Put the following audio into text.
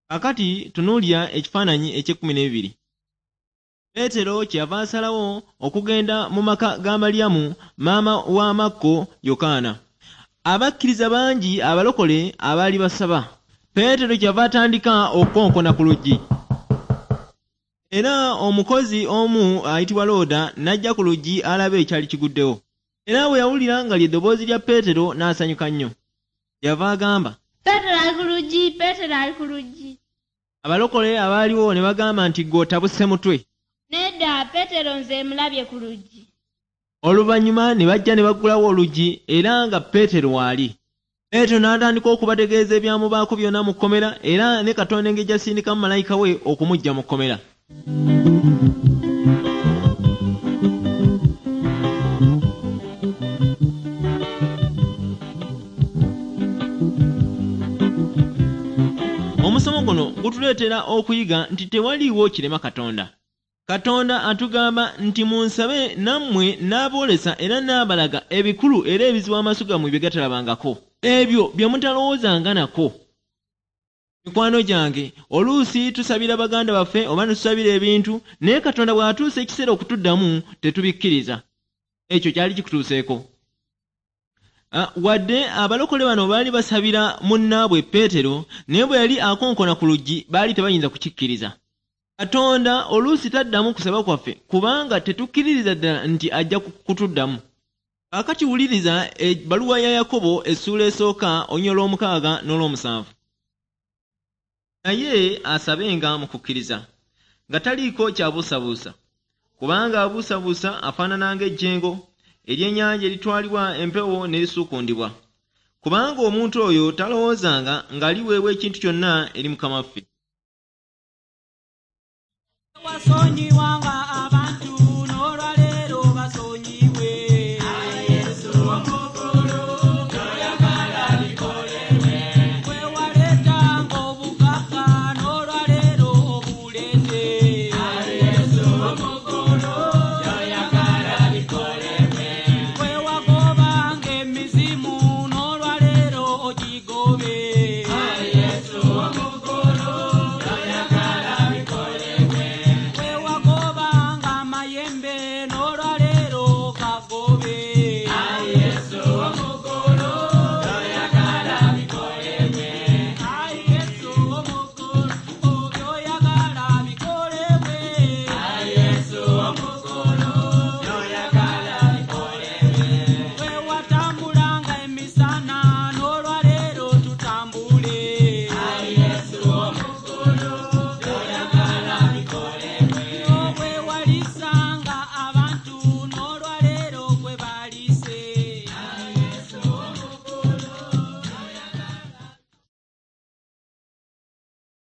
Kaakati tunuulira ekifaananyi eky'ekkumi n'ebibiri. Peetero kyeyava asalawo okugenda mu maka ga Malyamu, maama wa Makko Yokaana. Abakkiriza bangi abalokole abaali basaba. Peetero kyeyava atandika okukonkona ku luggi. Era omukozi omu ayitibwa Looda n'ajja ku luggi alabe ekyali kiguddewo. Era bwe yawulira nga lye ddoboozi lya Peetero n'asanyuka nnyo. Kyeyava agamba, Peetero ali ku luggi, Peetero ali ku luggi. Abalokole abaaliwo ne bagamba nti, "Ggwe otabuse mutwe." Nedda, Peetero nze mulabye ku luggi. Oluvannyuma ne bajja ne baggulawo oluggi era nga Peetero waali. Peetero n'atandika okubategeeza ebyamubaako byonna mu kkomera era ne Katonda engeri gy'asindikamu malayika we okumuggya mu kkomera. Omusomo guno gutuleetera okuyiga nti tewaliiwo kirema Katonda. Katonda atugamba nti, "Munsabe nammwe n'aboolesa era n'abalaga ebikulu era ebizibu amaaso gammwe bye gatalabangako. Ebyo bye mutalowoozanga nako." Mikwano gyange, oluusi tusabira baganda baffe oba ne tusabira ebintu, naye Katonda bw'atuusa ekiseera okutuddamu tetubikkiriza. Ekyo kyali kikutuuseeko? Wadde abalokole bano baali basabira munnaabwe Peetero, naye bwe yali akonkona ku luggi baali tebayinza kukikkiriza. Katonda oluusi taddamu kusaba kwaffe kubanga tetukkiririza ddala nti ajja kutuddamu. Kaakati wuliriza ebbaluwa ya Yakobo essuula esooka olunyiriri olw'omukaaga n'olw'omusanvu. Naye asabenga mu kukkiriza, nga taliiko ky'abuusabuusa, kubanga abuusabuusa afaanana ng'ejjengo ery'ennyanja eritwalibwa empewo ne lisuukundibwa. Kubanga omuntu oyo talowoozanga ng'aliweebwa ekintu kyonna eri Mukama waffe. Wasonyiwanga.